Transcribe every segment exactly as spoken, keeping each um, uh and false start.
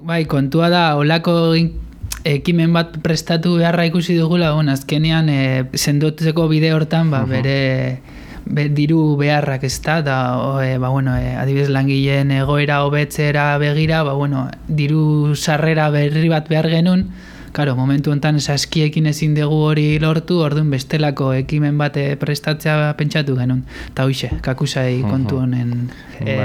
Bai, kontua da, olako ekimen bat prestatu beharra ikusi dugula, bon, azkenean e, sendotzeko bide hortan, ba, bere be, diru beharrak ez da, da e, ba, bueno, e, adibidez langileen egoera hobetzera begira, ba, bueno, diru sarrera berri bat behar genuen, Karo, momentu honetan saskiekin ezin dugu hori lortu, orduan bestelako ekimen bat prestatzea pentsatu genuen. Eta hoxe, kakusai kontu honen. E,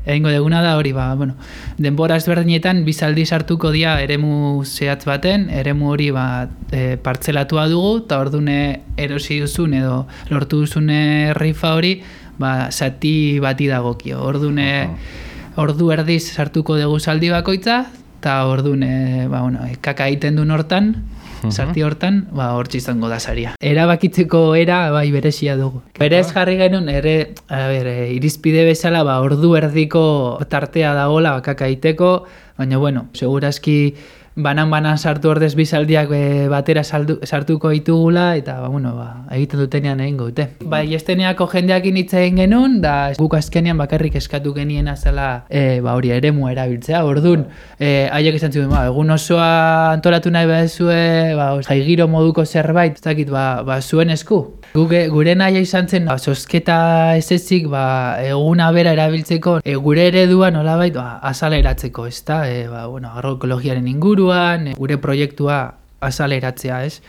egingo deguna da hori, ba, bueno, denbora ezberdinetan bizaldi sartuko dia eremu zehatz baten, eremu hori ba, e, partzelatua dugu, eta orduan erosi duzun edo lortu duzun rifa hori, ba, zati bati dagokio. Orduan, ordu erdiz sartuko dugu zaldi bakoitza, eta orduan, e, ba, bueno, kaka egiten duen hortan, sarti hortan, ba, hortxe izango da saria. Erabakitzeko era, bai, berezia dugu. Berez jarri genuen, ere, a ber, irizpide bezala, ba, ordu erdiko tartea dagoela, ba, kaka egiteko, baina, bueno, segurazki banan-banan sartu ordez bizaldiak e, batera saldu, sartuko ditugula, eta, ba, bueno, ba, egiten dutenean egingo dute. Ba, esteneako jendeakin hitz egin genuen, da guk azkenean bakarrik eskatu genien azala, e, ba, hori eremua erabiltzea. Orduan, e, haiek esan zuen, ba, egun osoa antolatu nahi behazue, ba, jaigiro moduko zerbait, ez dakit, ba, ba, zuen esku. Guke, gure naia izan zen, ba, zozketa ez ezik, ba, eguna bera erabiltzeko, e, gure eredua nolabait, ba, azaleratzeko, ez da, e, ba, bueno, agroekologiaren inguruan, e, gure proiektua azaleratzea, ez?